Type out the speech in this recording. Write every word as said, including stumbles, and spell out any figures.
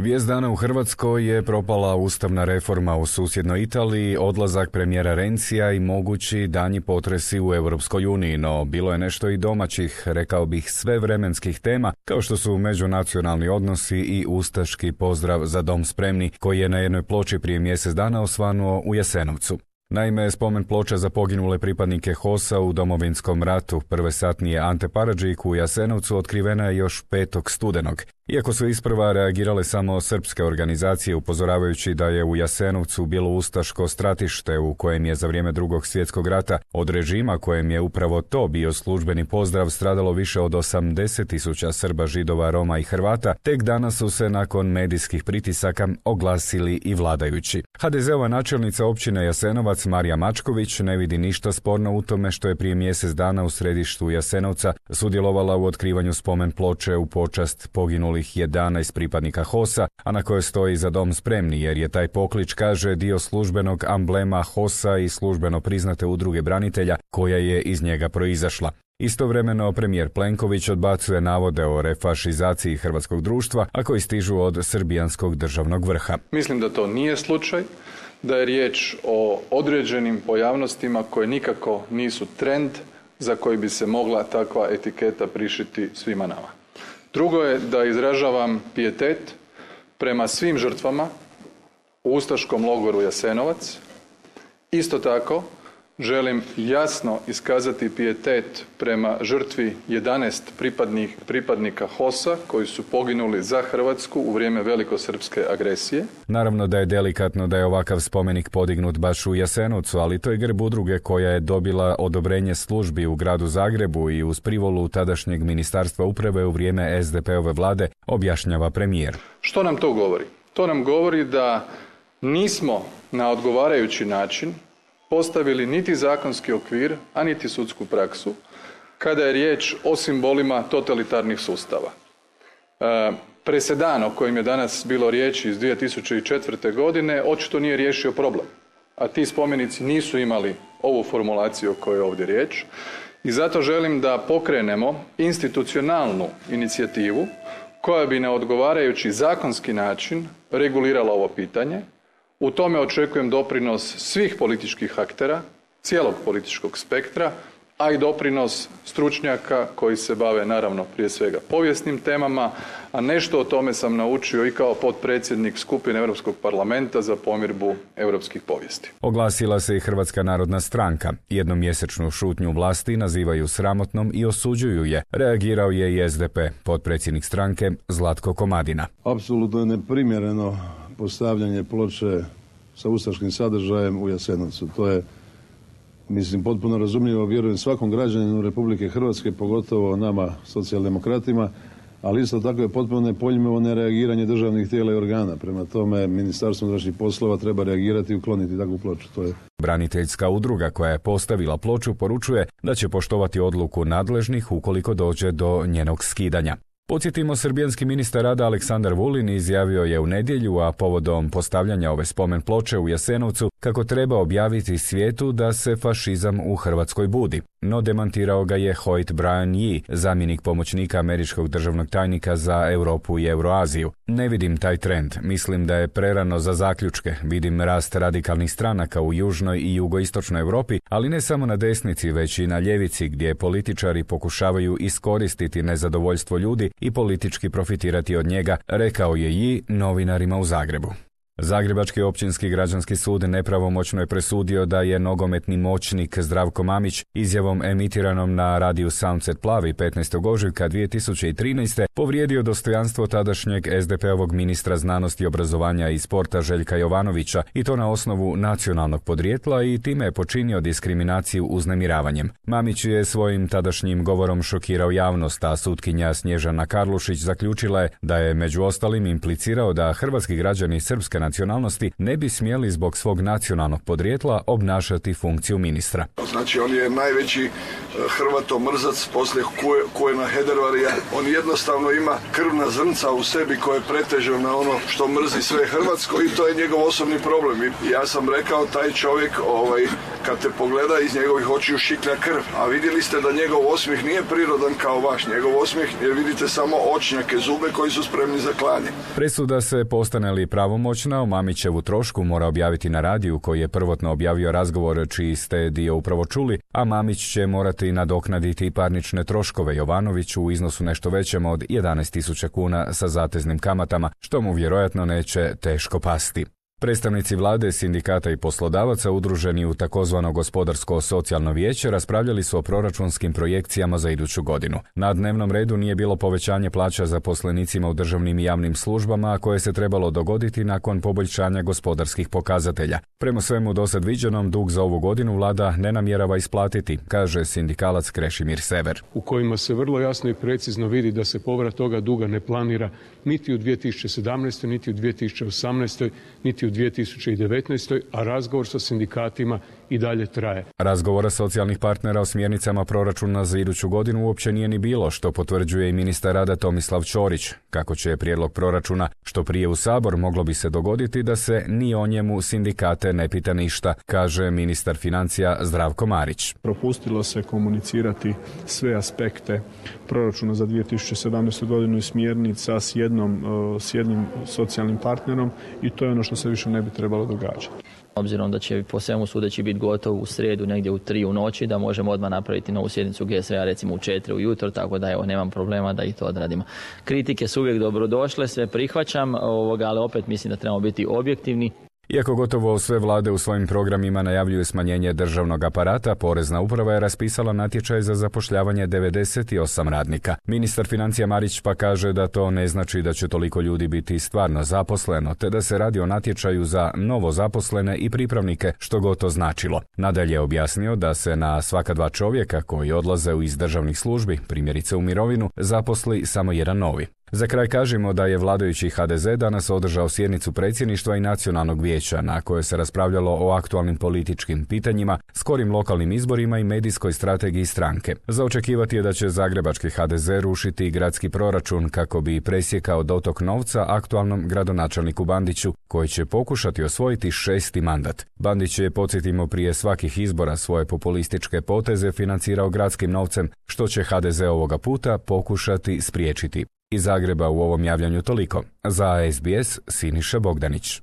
Vijest dana u Hrvatskoj je propala ustavna reforma u susjednoj Italiji, odlazak premijera Renzija i mogući danji potresi u Europskoj uniji, no bilo je nešto i domaćih, rekao bih svevremenskih tema, kao što su međunacionalni odnosi i ustaški pozdrav Za dom spremni, koji je na jednoj ploči prije mjesec dana osvanuo u Jasenovcu. Naime, spomen ploča za poginule pripadnike H O S-a u Domovinskom ratu, prve satnije Ante Paradžik u Jasenovcu, otkrivena je još petog studenog. Iako su isprva reagirale samo srpske organizacije upozoravajući da je u Jasenovcu bilo ustaško stratište u kojem je za vrijeme drugog svjetskog rata od režima kojem je upravo to bio službeni pozdrav stradalo više od osamdeset tisuća Srba, Židova, Roma i Hrvata, tek danas su se nakon medijskih pritisaka oglasili i vladajući. ha de ze-ova načelnica općine Jasenovac Marija Mačković ne vidi ništa sporno u tome što je prije mjesec dana u središtu Jasenovca sudjelovala u otkrivanju spomen ploče u počast poginulih jedanaest pripadnika H O S-a, a na kojoj stoji Za dom spremni, jer je taj poklič, kaže, dio službenog amblema H O S-a i službeno priznate udruge branitelja koja je iz njega proizašla. Istovremeno premijer Plenković odbacuje navode o refašizaciji hrvatskog društva, a koji stižu od srbijanskog državnog vrha. Mislim da to nije slučaj, da je riječ o određenim pojavnostima koje nikako nisu trend za koji bi se mogla takva etiketa prišiti svima nama. Drugo je da izražavam pijetet prema svim žrtvama u ustaškom logoru Jasenovac. Isto tako želim jasno iskazati pijetet prema žrtvi jedanaest pripadnih, pripadnika H O S-a koji su poginuli za Hrvatsku u vrijeme velikosrpske agresije. Naravno da je delikatno da je ovakav spomenik podignut baš u Jasenovcu, ali to je grb udruge koja je dobila odobrenje službi u gradu Zagrebu i uz privolu tadašnjeg ministarstva uprave u vrijeme es de pe-ove vlade, objašnjava premijer. Što nam to govori? To nam govori da nismo na odgovarajući način postavili niti zakonski okvir, a niti sudsku praksu, kada je riječ o simbolima totalitarnih sustava. E, presedan o kojem je danas bilo riječi iz dvije tisuće četvrte. godine očito nije riješio problem, a ti spomenici nisu imali ovu formulaciju o kojoj je ovdje riječ i zato želim da pokrenemo institucionalnu inicijativu koja bi na odgovarajući zakonski način regulirala ovo pitanje. U tome očekujem doprinos svih političkih aktera, cijelog političkog spektra, a i doprinos stručnjaka koji se bave naravno prije svega povijesnim temama, a nešto o tome sam naučio i kao potpredsjednik skupine Europskog parlamenta za pomirbu europskih povijesti. Oglasila se i Hrvatska narodna stranka. Jednomjesečnu šutnju vlasti nazivaju sramotnom i osuđuju je. Reagirao je i es de pe, potpredsjednik stranke Zlatko Komadina. Apsolutno je neprimjereno postavljanje ploče sa ustaškim sadržajem u Jasenovcu. To je, mislim, potpuno razumljivo, vjerujem svakom građaninu Republike Hrvatske, pogotovo nama socijaldemokratima, ali isto tako je potpuno nepojmljivo nereagiranje državnih tijela i organa. Prema tome, Ministarstvo unutrašnjih poslova treba reagirati i ukloniti takvu ploču. To je. Braniteljska udruga koja je postavila ploču poručuje da će poštovati odluku nadležnih ukoliko dođe do njenog skidanja. Podsjetimo, srbijanski ministar rada Aleksandar Vulin izjavio je u nedjelju, a povodom postavljanja ove spomen ploče u Jasenovcu, kako treba objaviti svijetu da se fašizam u Hrvatskoj budi. No demantirao ga je Hoyt Brian Yee, zamjenik pomoćnika američkog državnog tajnika za Europu i Euroaziju. Ne vidim taj trend, mislim da je prerano za zaključke, vidim rast radikalnih stranaka u južnoj i jugoistočnoj Europi, ali ne samo na desnici, već i na ljevici, gdje političari pokušavaju iskoristiti nezadovoljstvo ljudi i politički profitirati od njega, rekao je Yee novinarima u Zagrebu. Zagrebački općinski građanski sud nepravomoćno je presudio da je nogometni moćnik Zdravko Mamić izjavom emitiranom na radiju Sunset Plavi petnaestog ožujka dvije tisuće trinaeste. povrijedio dostojanstvo tadašnjeg es de pe-ovog ministra znanosti, obrazovanja i sporta Željka Jovanovića, i to na osnovu nacionalnog podrijetla, i time je počinio diskriminaciju uznemiravanjem. Mamić je svojim tadašnjim govorom šokirao javnost, a sutkinja Snježana Karlušić zaključila je da je među ostalim implicirao da hrvatski građani srpske nacionalnosti ne bi smjeli zbog svog nacionalnog podrijetla obnašati funkciju ministra. Znači, on je najveći hrvatomrzac poslije Kujena Hedervarija. On jednostavno ima krvna zrnca u sebi koje preteže na ono što mrzi sve hrvatsko i to je njegov osobni problem. I ja sam rekao, taj čovjek ovaj, kad te pogleda iz njegovih očiju šiklja krv, a vidjeli ste da njegov osmijeh nije prirodan kao vaš, njegov osmijeh jer vidite samo očnjake, zube koji su spremni za klanje. Presuda se, postane li pravomoćna, o Mamićevu trošku mora objaviti na radiju koji je prvotno objavio razgovor čiji ste dio upravo čuli, a Mamić će morati nadoknaditi parnične troškove Jovanoviću u iznosu nešto većem od jedanaest tisuća kuna sa zateznim kamatama, što mu vjerojatno neće teško pasti. Predstavnici vlade, sindikata i poslodavaca udruženi u takozvano gospodarsko-socijalno vijeće raspravljali su o proračunskim projekcijama za iduću godinu. Na dnevnom redu nije bilo povećanje plaća zaposlenicima u državnim i javnim službama, a koje se trebalo dogoditi nakon poboljšanja gospodarskih pokazatelja. Prema svemu dosad viđenom, dug za ovu godinu vlada ne namjerava isplatiti, kaže sindikalac Krešimir Sever. U kojima se vrlo jasno i precizno vidi da se povrat toga duga ne planira niti u dvije tisuće sedamnaestoj, niti u dvije tisuće osamnaestoj, niti u dvije tisuće devetnaestoj, a razgovor sa sindikatima i dalje traje. Razgovora socijalnih partnera o smjernicama proračuna za iduću godinu uopće nije ni bilo, što potvrđuje i ministar rada Tomislav Ćorić. Kako će prijedlog proračuna što prije u Sabor, moglo bi se dogoditi da se ni o njemu sindikate ne pita ništa, kaže ministar financija Zdravko Marić. Propustilo se komunicirati sve aspekte proračuna za dvije tisuće sedamnaestu godinu i smjernica s jednom, s jednim socijalnim partnerom i to je ono što se više ne bi trebalo događati. Obzirom da će po svemu sudeći biti gotov u srijedu negdje u tri u noći, da možemo odmah napraviti novu sjednicu G S V-a recimo u četiri ujutro, tako da evo nemam problema da i to odradimo. Kritike su uvijek dobrodošle, sve prihvaćam, ovoga, ali opet mislim da trebamo biti objektivni. Iako gotovo sve vlade u svojim programima najavljuju smanjenje državnog aparata, Porezna uprava je raspisala natječaj za zapošljavanje devedeset osam radnika. Ministar financija Marić pa kaže da to ne znači da će toliko ljudi biti stvarno zaposleno, te da se radi o natječaju za novo zaposlene i pripravnike, što god to značilo. Nadalje je objasnio da se na svaka dva čovjeka koji odlaze iz državnih službi, primjerice u mirovinu, zaposli samo jedan novi. Za kraj kažemo da je vladajući H D Z danas održao sjednicu predsjedništva i nacionalnog vijeća na kojoj se raspravljalo o aktualnim političkim pitanjima, skorim lokalnim izborima i medijskoj strategiji stranke. Za očekivati je da će zagrebački H D Z rušiti gradski proračun kako bi presjekao dotok novca aktualnom gradonačelniku Bandiću, koji će pokušati osvojiti šesti mandat. Bandić je, podsjetimo, prije svakih izbora svoje populističke poteze financirao gradskim novcem, što će H D Z ovoga puta pokušati spriječiti. Iz Zagreba u ovom javljanju toliko. Za S B S Siniša Bogdanić.